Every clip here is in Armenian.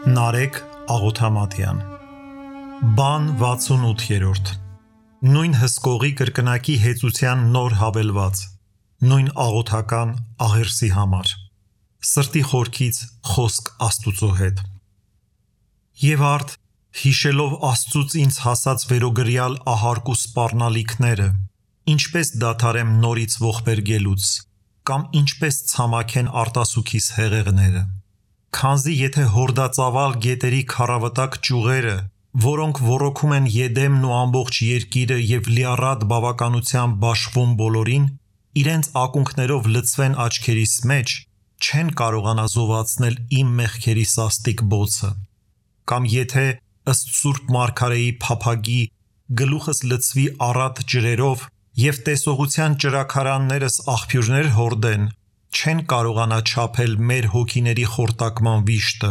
Նարեկ Աղոթամատյան Բան 68-րդ Նույն հսկողի կրկնակի հեծության նոր հավելված Նույն աղոթական աղերսի համար Սրտի խորքից խոսք Աստուծո հետ Եվ արդ հիշելով Աստծուց ինձ հասած վերոգրյալ ահարկ ու սպառնալիքները Ինչպես դադարեմ նորից ողբերգելուց Կամ ինչպես ցամաքեն արտասուքիս հեղեղները Քանզի եթե հորդածավալ գետերի քառավտակ ճյուղերը, որոնք ոռոգում են Եդեմն ու ամբողջ երկիրը եւ լիառատ բավականությամբ բաշխվում բոլորին, իրենց ակունքներով լցվեն աչքերիս մեջ, չեն կարողանա զովացնել իմ մեղքերի սաստիկ բոցը։ Կամ եթե ըստ Սուրբ Մարգարեի փափագի գլուխս լցվի առատ ջրերով եւ տեսողության ճրաքարաններս աղբյուրներ հորդեն, չեն կարողանա չափել մեր հոգիների խորտակման վիշտը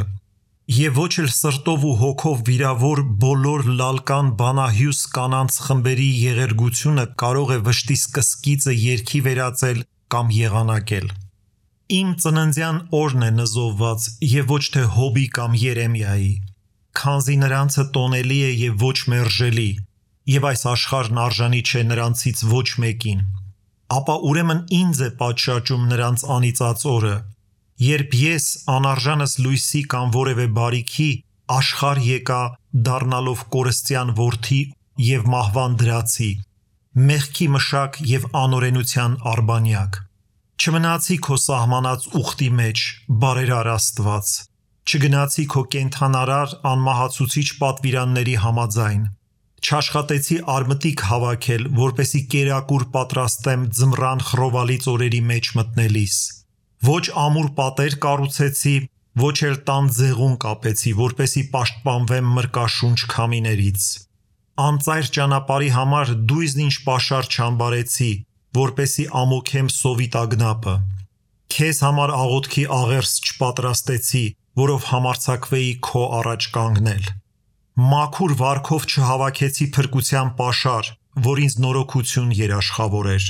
եւ ոչ էլ սրտով ու հոգով վիրավոր բոլոր լալկան բանահյուս կանանց խմբերի եղերգությունը կարող է վշտի սկսկիծը երգի վերածել կամ եղանակել Իմ ծննդյան օրն է նզովված եւ ոչ թե Հոբի կամ Երեմիայի քանզի նրանցը տոնելի է եւ ոչ մերժելի եւ այս աշխարհն արժանի չէ նրանցից ոչ մեկին Ապա ուրեմն ինձ է պատշաճում նրանց անիծած օրը, երբ ես անարժանս լույսի կամ որևէ բարիքի աշխարհ եկա դառնալով կորստյան որդի եւ մահվան դրացի, մեղքի մշակ եւ անօրենության արբանյակ։ Չմնացի քո սահմանած ուխտի մեջ, բարերար Աստված, չգնացի քո կենթանարար անմահացուցիչ պատվիրանների համաձայն։ Չաշխատեցի արմտիկ հավաքել, որպեսի կերակուր պատրաստեմ ձմռան խռովալից օրերի մեջ մտնելիս։ Ոչ ամուր պատեր կառուցեցի, ոչ էլ տան ձեղուն կապեցի, որպեսի պաշտպանվեմ մրկաշունչ քամիներից։ Անծայր ճանապարհի համար դույզն ինչ պաշար չամբարեցի, որպեսի ամոքեմ սովի տագնապը։ Քեզ համար աղոթքի աղերս չպատրաստեցի, որով համարձակվեի քո առաջ կանգնել։ Մաքուր վարքով չհավաքեցի փրկության պաշար, որ ինձ նորոգություն երաշխավորեր։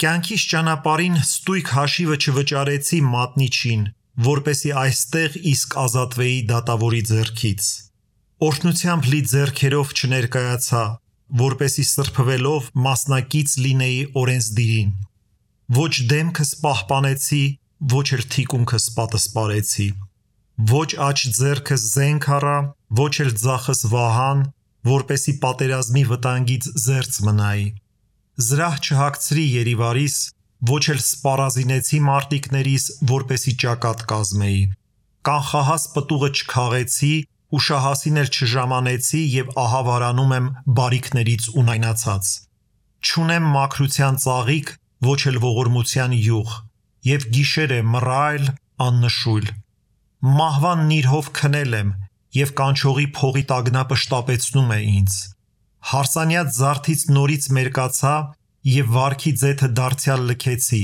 Կյանքիս ճանապարհին ստույգ հաշիվը չվճարեցի մատնիչին, որպեսի այստեղ իսկ ազատվեի դատավորի ձեռքից։ Օրհնությամբ լի ձեռքերով չներկայացա, որպեսի սրբվելով մասնակից լինեի օրենսդիրին։ Ոչ դեմքս պահպանեցի, ոչ էլ թիկունքս պատսպարեցի։ Ոչ աջ ձեռքս զենք առա, ոչ էլ ձախս վահան, որպեսի պատերազմի վտանգից զերծ մնայի։ Զրահ չհագցրի երիվարիս, ոչ էլ սպառազինեցի մարտիկներիս, որպեսի ճակատ կազմեի։ Կանխահաս պտուղը չքաղեցի, ուշահասին էլ չժամանեցի եւ ահա վարանում եմ բարիքներից ունայնացած։ Չունեմ մաքրության ծաղիկ, ոչ էլ ողորմության յուղ, եւ գիշեր է մռայլ, աննշույլ։ Մահվան նիրհով քնել եմ եւ կանչողի փողի տագնապը շտապեցնում է ինձ։ Հարսանյաց զարթից նորից մերկացա եւ վարքի ձեթը դարձյալ լքեցի,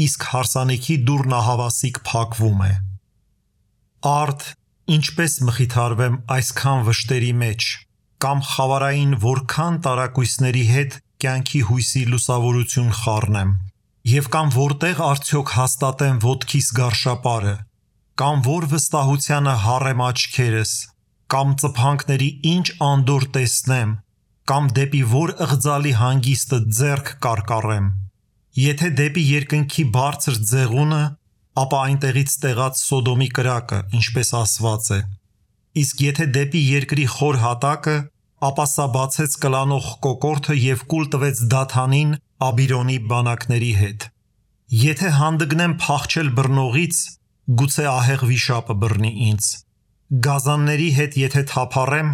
իսկ հարսանիքի դուռն ահավասիկ փակվում է։ Արդ ինչպես մխիթարվեմ այսքան վշտերի մեջ, կամ խավարային որքան տարակույսների հետ կյանքի հույսի լուսավորություն խառնեմ, եւ կամ որտեղ արդյոք հաստատեմ ոտքիս գարշապարը, կամ որ վստահությանը հառեմ աչքերս, կամ ծփանքների ինչ անդոր տեսնեմ, կամ դեպի որ ըղձալի հանգիստը ձեռք կարկառեմ։ Եթե դեպի երկնքի բարձր ձեղունը, ապա այնտեղից տեղած Սոդոմի կրակը, ինչպես ասված է։ Իսկ եթե դեպի երկրի խոր հատակը, ապա սա բացեց կլանող կոկորդը եւ կուլ տվեց Դաթանին Աբիրոնի բանակների հետ։ Եթե հանդգնեմ փախչել բռնողից, գուցե ահեղ վիշապը բռնի ինձ։ Գազանների հետ եթե թափառեմ,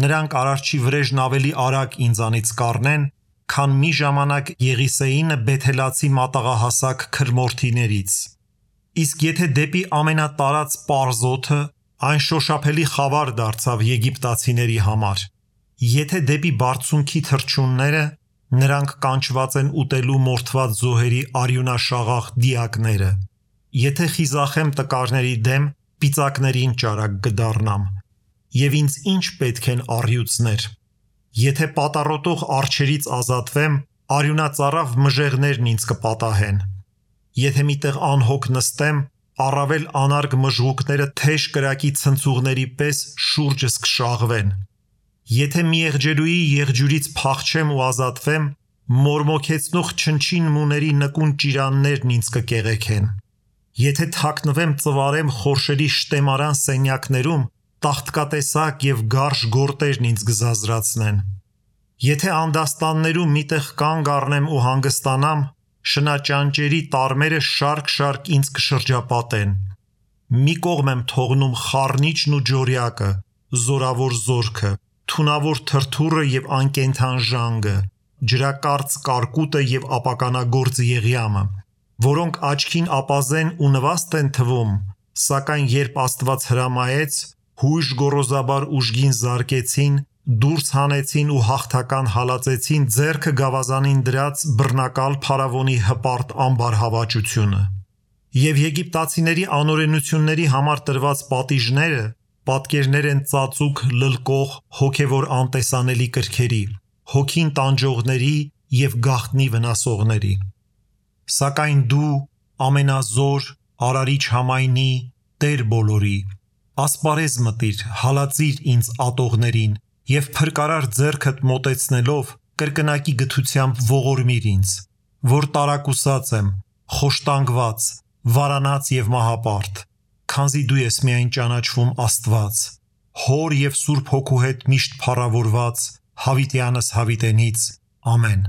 նրանք արարչի վրեժն ավելի արագ ինձանից կառնեն, քան մի ժամանակ Եղիսեինը բեթելացի մատաղահասակ քրմորթիներից։ Իսկ եթե դեպի ամենատարած պարզոթը, այն շոշափելի խավար դարձավ եգիպտացիների համար։ Եթե դեպի բարձունքի թռչունները, նրանք կանչված են ուտելու մորթված զոհերի արյունաշաղախ դիակները։ Եթե խիզախեմ տկարների դեմ, պիծակներին ճարակ կդառնամ, եւ ինձ ինչ պետք են առյուծներ։ Եթե պատառոտող արջերից ազատվեմ, արյունածառավ մժեղներն ինձ կպատահեն։ Եթե միտեղ անհոգ նստեմ, առավել անարգ մժղուկները թեժ կրակի ցնցուղների պես շուրջս կշաղվեն։ Եթե մի եղջերուի եղջյուրից փախչեմ ու ազատվեմ, մորմոքեցնող չնչին մուների նկուն ճիրաններն ինձ կկեղեքեն։ Եթե թաքնվեմ ծվարեմ խորշերի շտեմարան սենյակներում, տաղտկատեսակ եւ գարշ գորտերն ինձ կզազրացնեն։ Եթե անդաստաններում միտեղ կանգ առնեմ ու հանգստանամ, շնաճանճերի տարմերը շարք-շարք ինձ կշրջապատեն։ Մի կողմ եմ թողնում խառնիչն ու ջորյակը, զորավոր զորքը, թունավոր թրթուրը եւ անկենդան ժանգը, ջրակարծ կարկուտը եւ ապականագործ եղյամը, որոնք աչքին ապազեն ու նվաստ են թվում, սակայն երբ Աստված հրամայեց, հույժ գոռոզաբար ուժգին զարկեցին, դուրս հանեցին ու հաղթական հալածեցին ձեռքը գավազանին դրած բռնակալ փարավոնի հպարտ ամբարհավաճությունը։ Եվ եգիպտացիների անօրենությունների համար տրված պատիժները պատկերներ են ծածուկ լլկող հոգևոր անտեսանելի կրքերի, հոգին տանջողների եւ գաղտնի վնասողների։ Սակայն դու ամենազոր, արարիչ համայնի, Տեր բոլորի, ասպարեզ մտիր, հալածիր ինձ ատողներին եւ փրկարար ձեռքդ մոտեցնելով կրկնակի գթությամբ ողորմիր ինձ, որ տարակուսած եմ, խոշտանգված, վարանած եւ մահապարտ, քանզի դու ես միայն ճանաչվում Աստված, Հոր եւ Սուրբ Հոգու հետ միշտ փառավորված, հավիտյանս հավիտենից, ամեն։